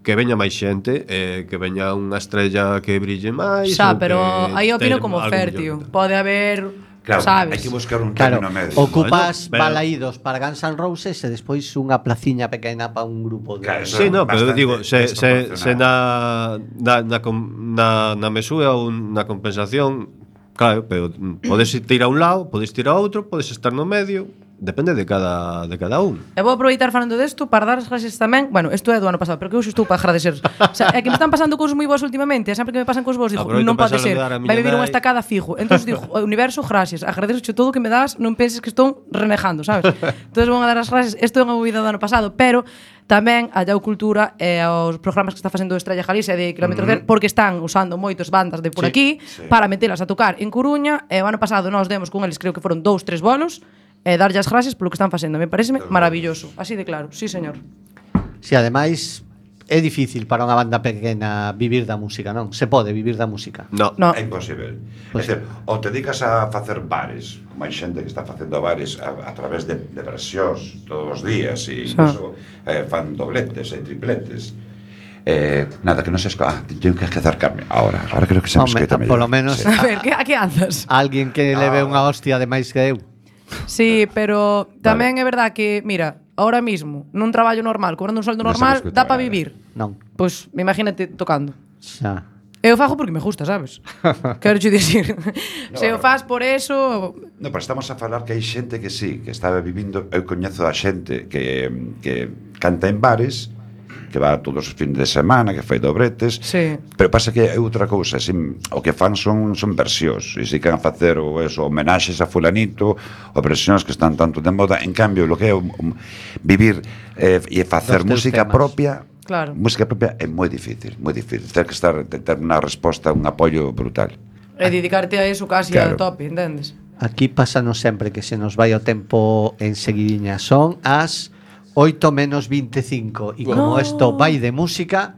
que veña máis xente, que veña unha estrella que brille máis. Xa, pero aí opino como Fertio. Pode haber, claro, sabes? hai que buscar un término medio. Ocupas Bueno, balaídos para Guns N' Roses e despois unha placiña pequena para un grupo de... Claro, Sí, no, pero digo, se desproporcionado. na mesura ou na compensación, claro, pero podes ir a un lado, podes ir a outro, podes estar no medio, depende de cada un. E vou aproveitar falando desto para dar as gracias tamén. Bueno, isto é do ano pasado, pero que hoxe estou para agradecer. O sea, é que me están pasando cousas moi boas últimamente, e sempre que me pasan cousas boas digo, Aproveito non pode para ser. saludar a miña Vai vivir unha nai. estacada fijo. Entón digo, o universo, gracias. Agradezo todo o que me das, non penses que estou renegando, sabes? Entón vou a dar as gracias. Isto é unha movida do ano pasado, pero tamén a Llau Cultura e aos programas que está facendo Estrella Galicia de Kilómetro Cero, porque están usando moitos bandas de por aquí para metelas a tocar en Coruña, e o ano pasado nós demos con eles, creo que foron 2-3 bolos, e darlle as gracias polo que están facendo. Me pareceme maravilloso, así de claro. Sí, señor. Si, ademais, é difícil para unha banda pequena vivir da música, non? Se pode vivir da música. No. No. É imposible. Pues, É dicir, ou te dedicas a facer bares, como hai xente que está facendo bares a través de versións todos os días, e incluso fan dobletes e tripletes. Nada, que non se escoita. Tengo que acercarme. Ahora creo que se me escoita mellor. Polo menos Sí. A ver, a que andas? alguén que leve unha hostia de máis que eu. Sí, pero tamén é verdad que, mira, ahora mismo, nun traballo normal, cobrando un sueldo Non se normal, me escuta dá para nada. vivir. Non. Pois, imagínate tocando. Xa. Eu fago porque me gusta, sabes? Quero che dicir. Se o faz por eso... No, pero estamos a falar que hai xente que sí, que está vivindo. Eu coñezo a xente que canta en bares, que va todos os fines de semana, que fai dobretes. Sí. Pero pasa que é outra cousa, o que fan son versións, e se queran facer homenaxes a fulanito, ou versións que están tanto de moda. En cambio, lo que é vivir e facer Dos teus música temas. propia, Claro. música propia é moi difícil, moi difícil. Ter que ter unha resposta, un apoio brutal. E dedicarte a eso casi Claro. a tope, entendes? Aquí pásanos sempre que se nos vai o tempo en seguidiña. Son as 8 menos 25. E como isto vai de música,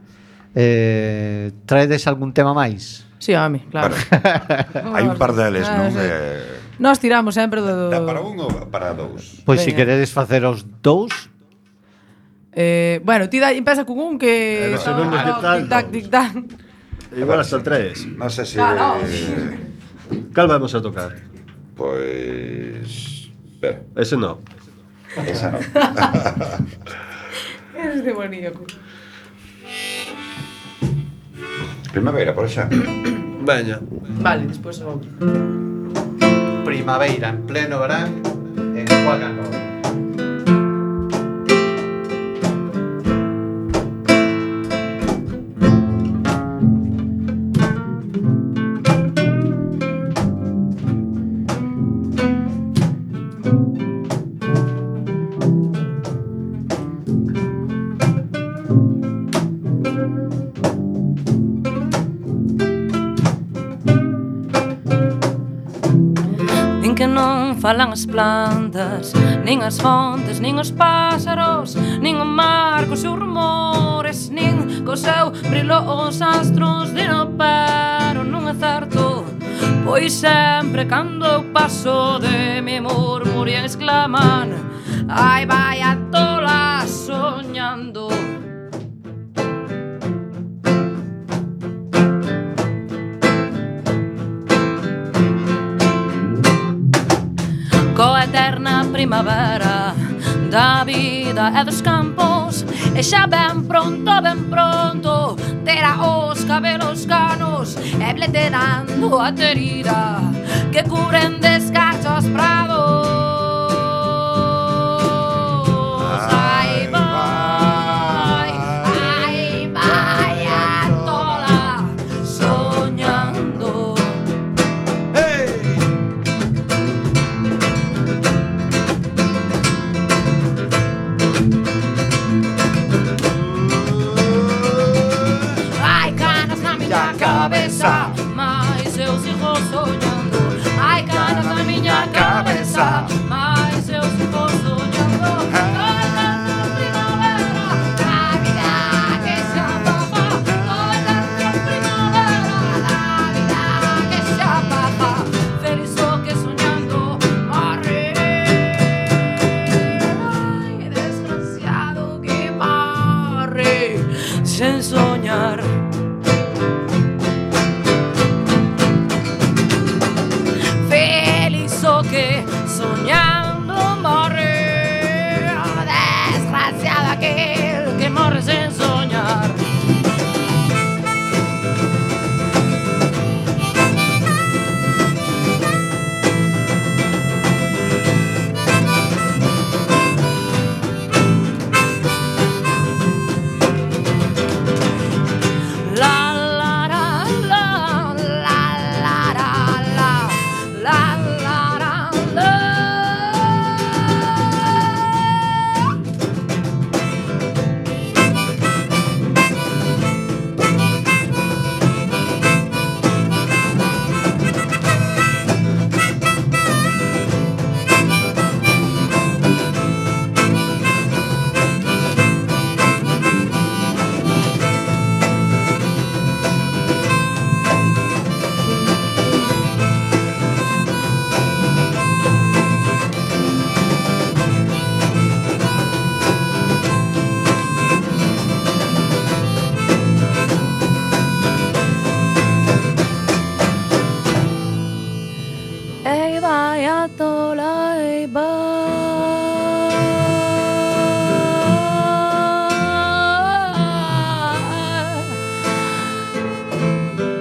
traedes algún tema máis? Sí, a mí, claro. Hai un par deles, non? Sí. Nós tiramos sempre Dá do... para un ou para dous? Pois se Veña. queredes facer os dous, Bueno, ti empeza con un que... non nos quitan tic-tac, dous. tic-tac. Igual hasta 3. Non sei se... Claro. Cal vamos a tocar? Pois... Espera, Ese no. esa non. Eres demoníaco. Primavera, por exemplo. Veña. Vale, despois o outro. primavera en pleno verán en Cuacan Roll. Din que non falan as plantas, nin as fontes, nin os pásaros, nin o mar cos seus rumores, nin co seu brilo os astros de no pero non é certo. Pois sempre cando eu paso de me murmuran exclaman: ai vai a tola soñando. Coa eterna primavera da vida e dos campos, e xa ben pronto terá os cabelos canos e bleterando a terida que cubren descachos prados. Ai vai a tola soñando. Ai, canas na mi sen soñar. Feliz o que soñando morre, desgraciado aquel que morre sen soñar.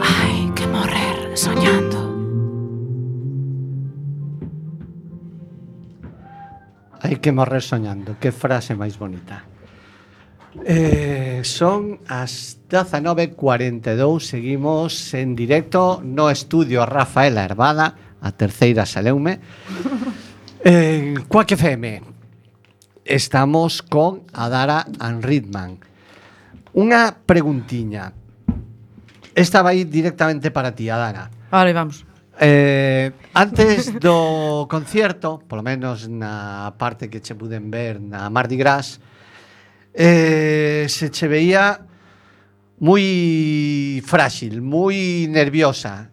Hay que morrer soñando. Hai que morrer soñando. Que frase máis bonita. Son as 19:42. Seguimos en directo no estudio Rafaela Hervada. A terceira saleume. En Quack FM. Estamos con Adara and Ritman. Unha preguntiña. Esta vai directamente para ti, Adara. Vale, vamos. Antes do concierto, polo menos na parte que che puden ver na Mardi Gras, se che veía moi frágil, moi nerviosa.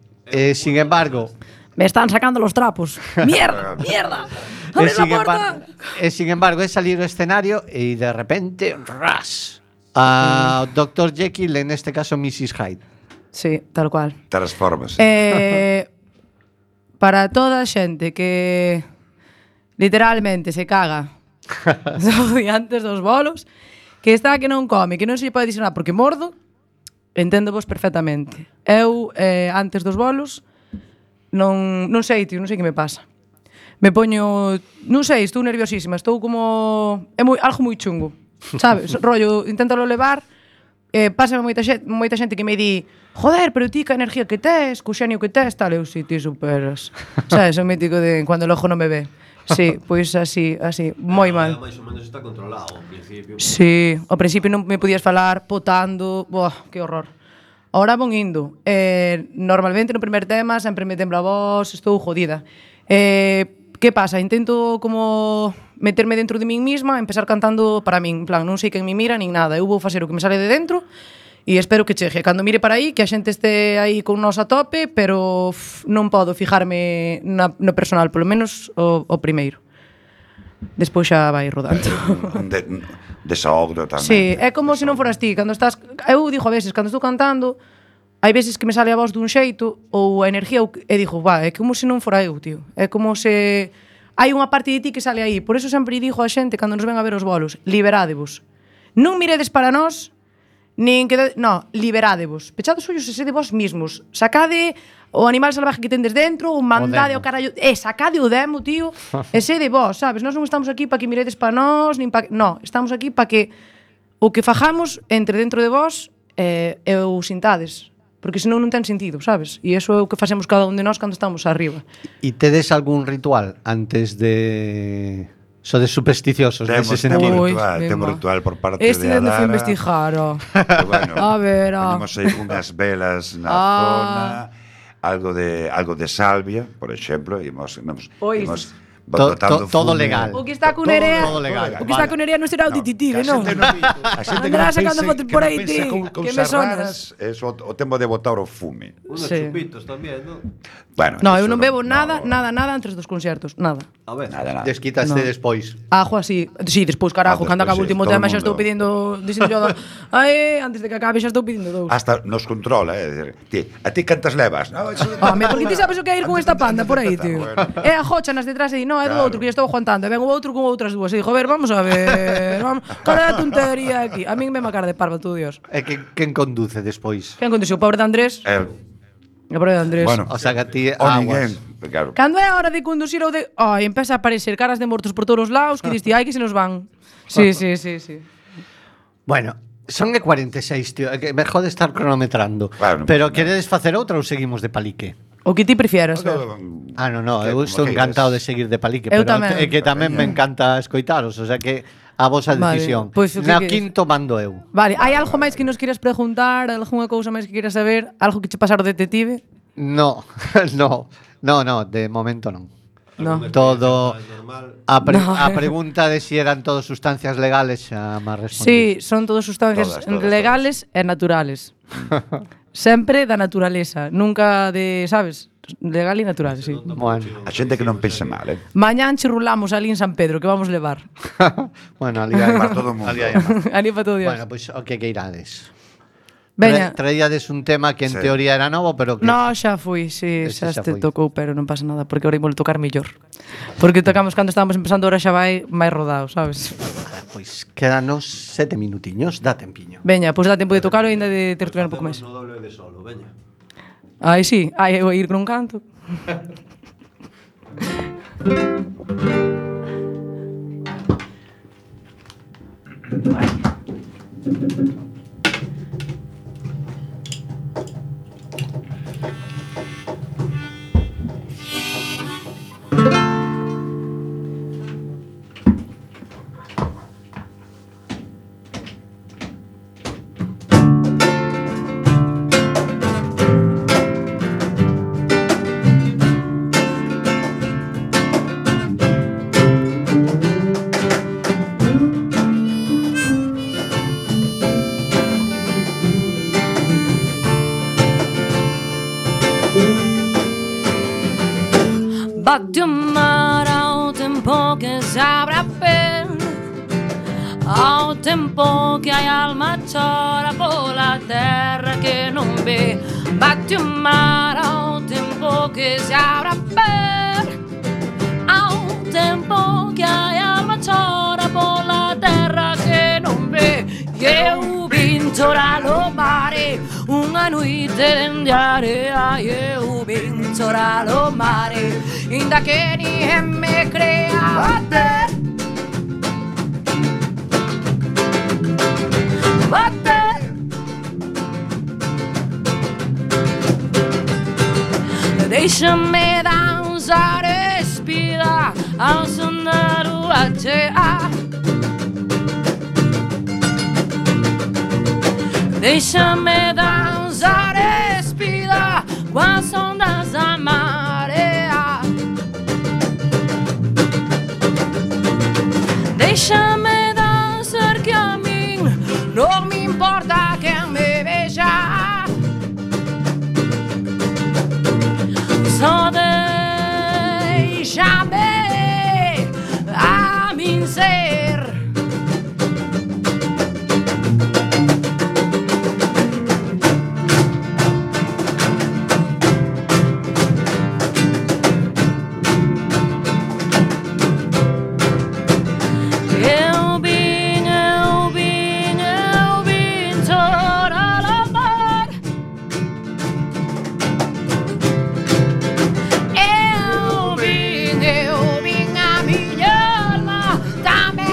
Sin embargo, Me están sacando los trapos. ¡Mierda! ¡Mierda! ¡Abre la puerta! sin embargo, es salir ao escenario y de repente, ras, a Dr. Jekyll, en este caso Mrs. Hyde. Sí, tal cual. Transformas. Para toda a xente que literalmente se caga antes dos bolos, que está que non come, que non se lle pode dicir nada porque mordo, enténdovos perfectamente. Eu, antes dos bolos, non sei, tío, non sei que me pasa. Me poño, non sei, estou nerviosísima, estou como algo moi chungo, sabes? Rollo, inténtalo levar, pásame moita xente que me di, joder, pero ti que energía que tes, co xenio que tes, tal, eu si ti superas. Sabes, o mítico de cuando el ojo non me ve. Sí, pois así, moi mal. Mais ou menos está controlado ao principio. Sí, ao principio non me podías falar potando, buah, que horror. Ahora von indo. Normalmente no primer tema sempre me tembla a voz, estou jodida. Que pasa? Intento como meterme dentro de min misma, empezar cantando para min, en plan, non sei quen me mira nin nada, eu vou facer o que me sale de dentro e espero que chegue. Cando mire para aí, que a xente este aí con nós a tope, pero non podo fijarme no personal, polo menos o primeiro. Despois xa vai rodando. Desahogo tamén. Sí, é como se non foras ti, cando estás, eu digo a veces, cando estou cantando, hai veces que me sale a voz dun xeito ou a energía e digo, é como se non fora eu, tío. É como se hai unha parte de ti que sale aí. Por eso sempre digo a xente cando nos ven a ver os bolos, liberádevos. Non miredes para nós, nin que no, liberádevos. Pechade os ollos e sede vos mismos. Sacade o animal salvaje que tendes dentro, ou mandade o carallo, sacade o demo, tío, e sede vos, sabes? Nós non estamos aquí para que miredes para nós, nin para, no, estamos aquí para que o que fajamos entre dentro de vos e o sintades. Porque senón non ten sentido, sabes? E iso é o que facemos cada un de nós cando estamos arriba. E tedes algún ritual antes de... Sodes supersticiosos nese sentido? Temos ritual por parte de Adara. Este non foi investigar, Bueno, a ver, Temos aí unhas velas na zona, algo de salvia, por exemplo, imos todo legal. O que está con Nerea, todo legal. o que está con Nerea non será o detective, non? A xente Andará sacando fotos por aí, ti, que me sonas. É o tempo de botar o fume. Unos Sí. chupitos tamén, non? Bueno, No, eso eu non bebo no, nada entre os dos concertos, nada. A ver. Nada. Desquitaste No. despois. Ajo así. Sí, despois, carajo, Ah, cando acaba o despois, sí, último todo tema o xa estou mundo. pedindo, dixen yo, antes de que acabe xa estou pedindo dous. Hasta nos controla, a ti cantas levas? No, eso Home, porque ti sabes o que é ir con esta panda por aí, tío. Bueno. É a Jocha nas detrás e di, no, é do Claro. outro que eu estou aguantando. E ven o outro con outras dúas. E dixo, a ver, vamos a ver. Cara de tontería aquí. A min me cara de parva, tú, Dios. E quen conduce despois? Quen conduciu? O pobre de Andrés. O pobre de Andrés. Bueno, O sea que a ti o aguas. ninguén, claro. Cando é a hora de conducir ou de... Ai, empeza a aparecer caras de mortos por todos os lados que diste, ai, que se nos van. Sí. Bueno, son e 46, tío. É que me jode estar cronometrando. Claro, Pero no. queredes facer outra ou seguimos de palique? O que ti prefieras, Fer. Ah, no, Que- eu estou como encantado de queiras. seguir de palique, Eu pero tamén. é que tamén me encanta escoitaros, o sea que a vosa Vale, decisión. pois o que Na queres. quinto mando eu. Vale, hai algo máis que nos quieras preguntar? Algunha cousa máis que quieras saber? Algo que che pasar o detective? No, de momento non. No. Todo Normal. No. a pregunta de si eran todas sustancias legales xa me respondi. Sí, son todas sustancias Todas, legales e naturales. Sempre da naturaleza, nunca de, sabes, legal e natural, sí. Bueno, A xente que non pense mal, Mañán chirrulamos ali en San Pedro, que vamos levar. bueno, ali hai Para todo o mundo. ali hai máis. Ali para todo Dios. Bueno, pois o que irades. Veña. Traíades un tema que en Sí. teoría era novo, pero que No, xa fui, sí, Ese xa xa te foi. tocou, pero non pasa nada, porque ahora imos tocar mellor. Porque tocamos cando estábamos empezando, ahora xa vai máis rodado, sabes? Pois quédanos 7 minutiños, dá tempiño. Veña, pois dá tempo de tocalo e ainda de tertuliar un pouco máis. No doble de solo, veña. Ai, sí, ai, eu ir con un canto. Batti un mare ao tempo que se abra per, ao tempo que hai alma chora pola terra que non ve. Batti un mare ao tempo que se abra per, ao tempo que hai alma chora pola terra que non ve. Eu vin chorar o mare unha noite dende a area. Eu vin chorar o mare inda que ninguén me crea. Bater, bater, deixa-me dançar espida ao som da lua cheia. Deixa-me dançar espida com as ondas da marea. Deixa-me dançar que a mim não me importa quem me veja. Só deixa-me a mim ser. Eu vim a minha alma também.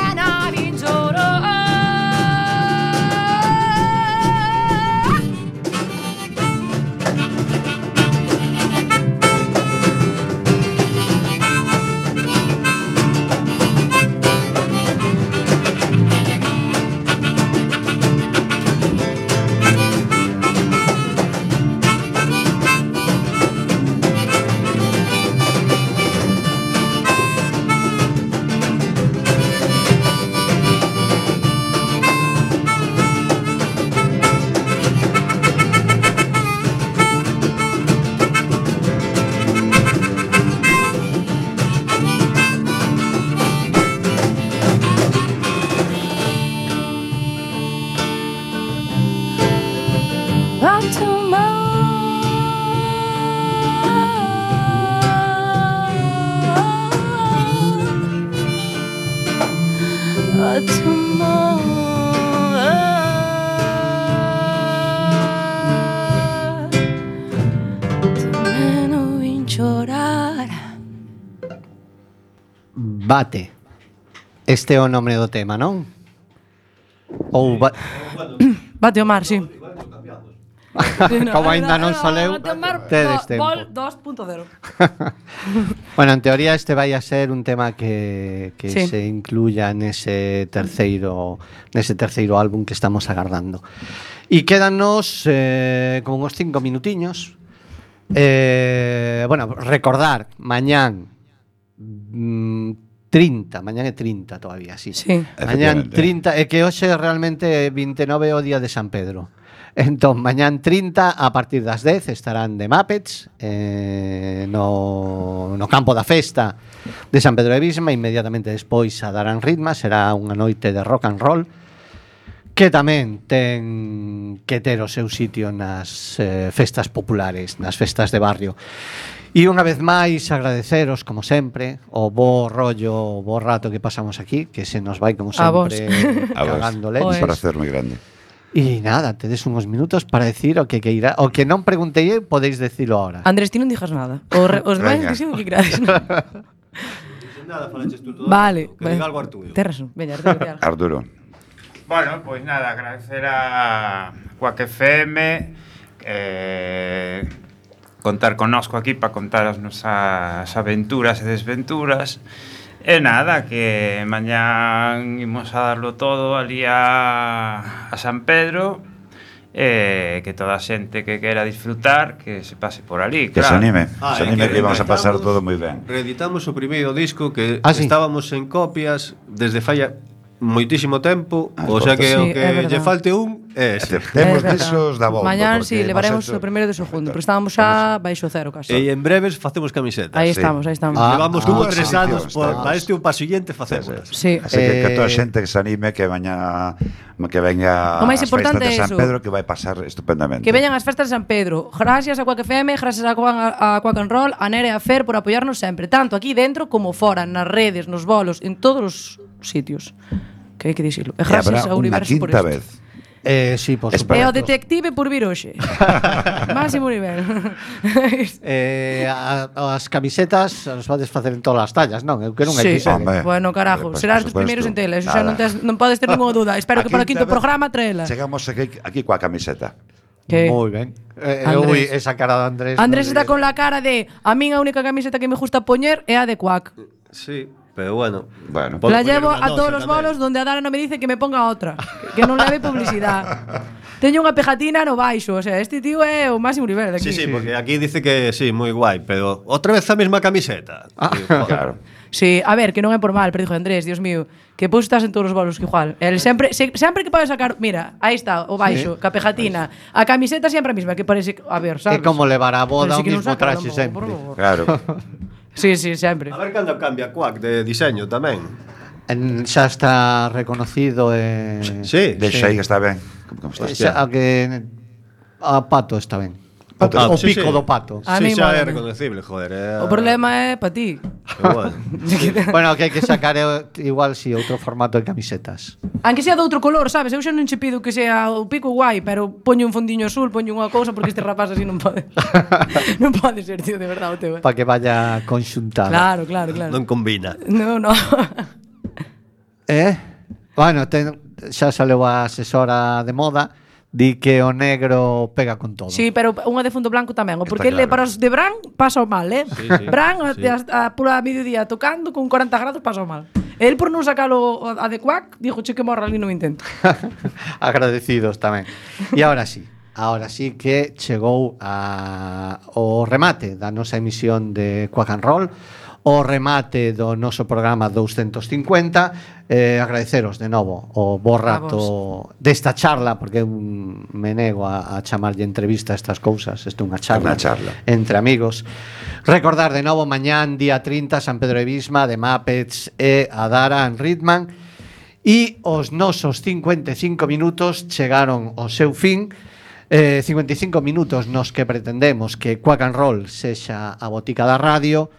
Tamén o vin chorar. Bate. Este é o nome do tema, non? Ou Bate o mar, sí. como aínda non soleu, Bate o mar, tedes tempo. Vol 2.0. Bueno, en teoría este vai a ser un tema que Sí. se incluya nese terceiro álbum que estamos agardando. E quédanos con uns 5 minutiños. Bueno, recordar, mañán 30, mañán é 30 todavía, sí. Sí. Mañán Efectivamente. 30, é que hoxe realmente 29 é o día de San Pedro. Entón, mañán 30, a partir das 10, estarán de Muppets no campo da festa de San Pedro de Visma. Inmediatamente despois a darán ritma. Será unha noite de rock and roll que tamén ten que ter o seu sitio nas festas populares, nas festas de barrio. E unha vez máis agradeceros, como sempre, o bo rollo, o bo rato que pasamos aquí, que se nos vai, como A vos. sempre, A vos. cagando Un leche. placer moi grande. E nada, tedes uns minutos para decir o que queira, o que non preguntei, podéis decirlo ahora. Andrés, ti non dixas nada. Os demais Venga. dixen o que querades. Nada, falaches tú todo. Vale. Que diga algo Arturo. Tes razón. Veña, Arturo. Arturo. Bueno, pois nada, agradecer a Quack FM contar connosco aquí para contar as nosas aventuras e desventuras. E nada, que mañán imos a darlo todo ali a San Pedro, que toda a xente que quera disfrutar que se pase por ali, Que se claro. anime. Se anime que vamos a pasar todo moi ben. Reeditamos o primeiro disco que Ah, sí. estábamos en copias desde falla moitísimo tempo, Ah, o sea que Sí, o é que verdad. lle falte un é ese. Temos É verdad. desos da volta. Mañán, porque sí, levaremos hemos hecho- o primeiro e o segundo, pero estábamos xa baixo cero casi. E en breves facemos camisetas. Aí sí. estamos, aí estamos. Levamos dúas 3 anos edicións, para estamos. este o paso seguinte facemos. Sí. Así que toda a Eh, xente que se anime que venga O máis ás importante festas de é San iso. Pedro que vai pasar estupendamente. Que veñan as festas de San Pedro. Gracias a Quack FM, gracias a Quack and Roll, a Nere e a Fer por apoiarnos sempre, tanto aquí dentro como fora, nas redes, nos bolos, en todos os sitios. Que hai que dicilo. E E habrá gracias ao unha universo por quinta isto. vez. Sí, por Espera. E o supuesto. detective por vir hoxe. Máximo nivel. As camisetas as podes facer en todas as tallas, non? Eu que non hai Sí. que Hombre. Bueno, carajo, Pues, serás por dos primeiros en supuesto. tela. Eso xa non, Nada. non podes ter ninguna duda. Espero que para o quinto programa traela. Chegamos aquí coa camiseta. Que Moi ben. Andrés. Esa cara de Andrés. Andrés non está lle- con la cara de a min a única camiseta que me gusta poñer é a de Quack. Sí, pero bueno. Bueno. Podo La poñer llevo unha a todos nosa los tamén. bolos donde a Dara non me dice que me ponga outra, que non leve publicidade. Teño unha pegatina no baixo, o sea, este tío é o máximo nivel de aquí. Sí, sí, porque aquí dice que sí, moi guai, pero outra vez a mesma camiseta. Sí, joder. Claro. Sí, a ver, que non é por mal, pero dijo Andrés, Dios mío, que pois estás en todos os bolos que igual. El sempre que pode sacar, mira, aí está o baixo, ca pegatina, a camiseta sempre a mesma, que parece, a ver, É sabes? como levar a boda Parece o que non mismo saca, traxe por sempre. favor. Claro. Sí, sí, sempre. A ver cando cambia Quack de diseño tamén. Xa está reconocido Sí. Deixa aí que está ben. Como estás? xa, a Pato está ben. Pato. O Sí, pico sí. do Pato. A Sí, mí xa é mólame. reconocible, joder. O problema é para ti. Pero bueno. Bueno, que hai que sacar igual si outro formato de camisetas. Aunque sea de outro color, sabes? Eu xa non che pido que sea o pico guai, pero poño un fondiño azul, poño unha cousa porque este rapaz así non pode. Non pode ser, tío, de verdade, o teu. Para que vaya conxuntada. Claro, claro, claro. Non combina. No, no. Bueno, xa saleu a asesora de moda, di que o negro pega con todo. Sí, pero unha de fundo blanco tamén. O porque Está ele claro. para os de Bran pasa mal, sí. Bran Sí. a pura mediodía tocando con 40 grados pasa mal. El por non sacalo a de Quack, dixo che que morra ali no intento. Agradecidos tamén. E ahora sí que chegou o remate da nosa emisión de Quack and Roll, o remate do noso programa 250. Agradeceros de novo o bo rato desta charla, porque eu me nego a chamarlle entrevista a estas cousas. Isto é unha charla, Unha charla entre amigos. Recordar de novo mañán día 30 San Pedro de Visma, de Muppets e a Dara en Ritman. E os nosos 55 minutos chegaron ao seu fin. 55 minutos nos que pretendemos que Quack and Roll sexa a botica da radio,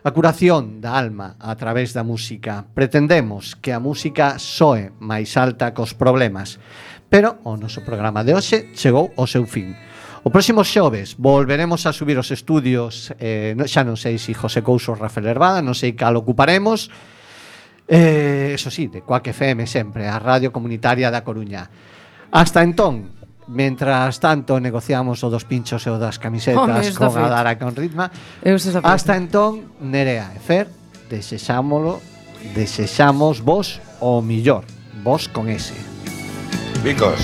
A curación da alma a través da música. Pretendemos que a música soe máis alta cos problemas. Pero o noso programa de hoxe chegou ao seu fin. O próximo xoves volveremos a subir os estudios, xa non sei se José Couso ou Rafael Herbada, non sei cal ocuparemos, eso sí, de Cuac FM sempre, a radio comunitaria da Coruña. Hasta entón, mentras tanto negociamos o dos pinchos e o das camisetas con Adara e con Ritma, hasta entón, Nerea e Fer, desexamos vos o millor, vos con ese. Bicos.